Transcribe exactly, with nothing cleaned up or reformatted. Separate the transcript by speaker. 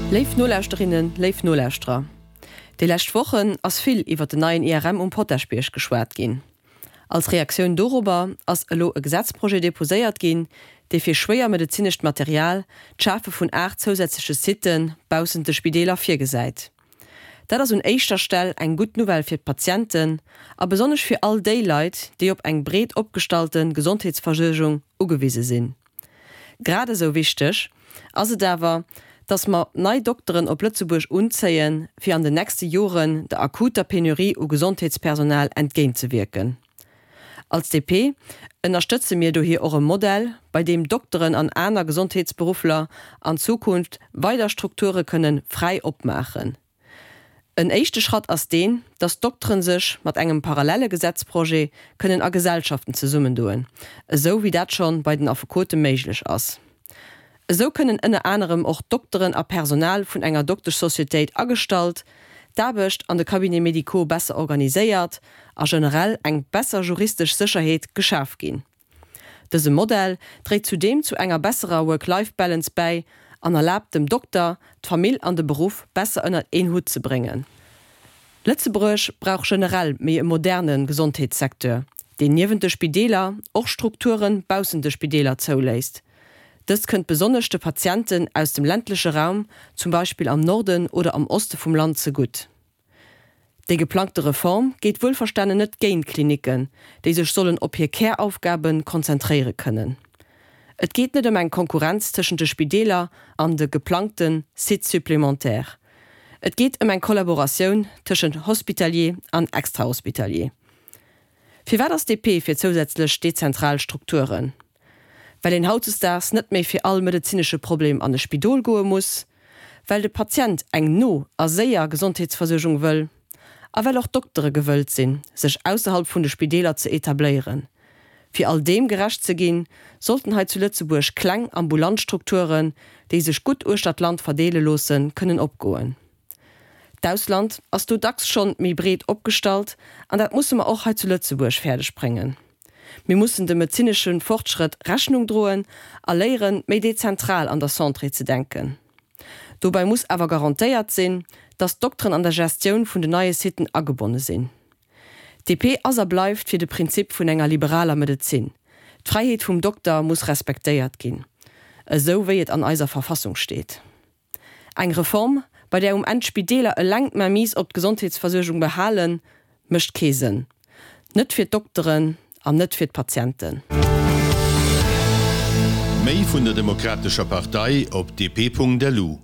Speaker 1: Léif Nolauschterinnen, léif Nolauschterer, déi lescht Wochen ass vill iwwer den neien I R M um Potaschbierg geschwat ginn. Als Reaktioun dorobber ass elo e Gesetzprojet deposéiert ginn, dee fir schwéier medezinescht Material d'Schafe vun aacht zousätzleche Sitte baussent de Spideeler virgesäit. Dat ass un éischter Stell eng gutt Nouvelle fir d'Patienten a besonnesch fir all déi Leit, déi op eng breet opgestallte Gesondheetsversuergung ugewise sinn. Grad esou wichteg ass et awer, dass mer nei Dokteren op Lëtzebuerg unzéien, fir an den nächste Joren der akuter Penurie u Gesondheetspersonal entgéintzewierken. Als D P ënnerstëtze mir dohier och e Modell, bei deem Dokteren an aner Gesondheetsberuffler an Zukunft weider Strukture kënne fräi opmaachen. En éischte Schratt ass deen, dass Dokteren sech mat engem parallele Gesetzprojet kënnen a Gesellschaften zesummendoen, esou wéi dat schonn bei den Affekote méiglech ass. Esou kënnen ënner anerem och Dokteren a Personal vun enger Dokteschsocietéit agestallt, d'Aarbecht an de Cabinets médicaux besser organiséiert a generell eng besser juristesch Sécherheet geschaf ginn. Dëse Modell dréit zudeem zu enger besserer Work-Life-Balance bäi an erlaabt dem Dokter, d'Famill an de Beruff besser ënner een Hutt ze bréngen. Lëtzebuerg brauch generell méi e moderne Gesondheetssecteur, deen niewent de Spideeler och Strukture baussent de Spideeler zouléisst. Dëst kënnt besonnesch de Patienten aus dem ländleche Raum, zum Beispill am Norden oder am Oste vum Land zegutt. Déi geplangte Reform geet wuelverstanen net géint Klinicken, déi sech sollen op hir Käraufgabe konzentréiere kënnen. Et geet net ëm eng Konkurrenz tëschent de Spideeler an de geplangte Sites supplémentaires. Et geet ëm eng Kollaboratioun tëschent hospitalier an extrahospitalier. Firwat ass D P fir zousätzlech dezentral Strukturen? Well een hautdesdaags net méi fir all medezinesche Problem an e Spidol goe muss, well de Patient eng no a séier Gesondheetsversuergung wëll, a well och Doktere gewëllt sinn, sech ausserhalb vun de Spideeler ze etabléieren. Fir all deem gerecht ze ginn, sollten hei zu Lëtzebuerg kleng ambulant Strukturen, déi sech gutt uechter d'Land verdeele loossen, kënnen opgoen. D'Ausland ass do dacks schonn méi breet opgestallt an dat musse mer och hei zu Lëtzebuerg fäerdeg bréngen. Mir mussen dem medezinesche Fortschrëtt Rechnung droen a léieren, méi dezentral an der Santé ze denken. Dobäi muss awer garantéiert sinn, dass d'Dokteren an der Gestioun vun den neie Sitten agebonne sinn. D P ass a bleift fir de Prinzip vun enger liberaler Medezin. D'Fräiheet vum Dokter muss respektéiert ginn, esou wéi et an eiser Verfassung steet. Eng Reform, bei där um Enn d'Spideeler eleng d'Mainmise op d'Gesondheetsversuergung behalen, mécht kee Sënn. Net fir d'Dokteren an net fir d'Patienten.
Speaker 2: Méi vun der Demokratescher Partei op D P Punkt L U.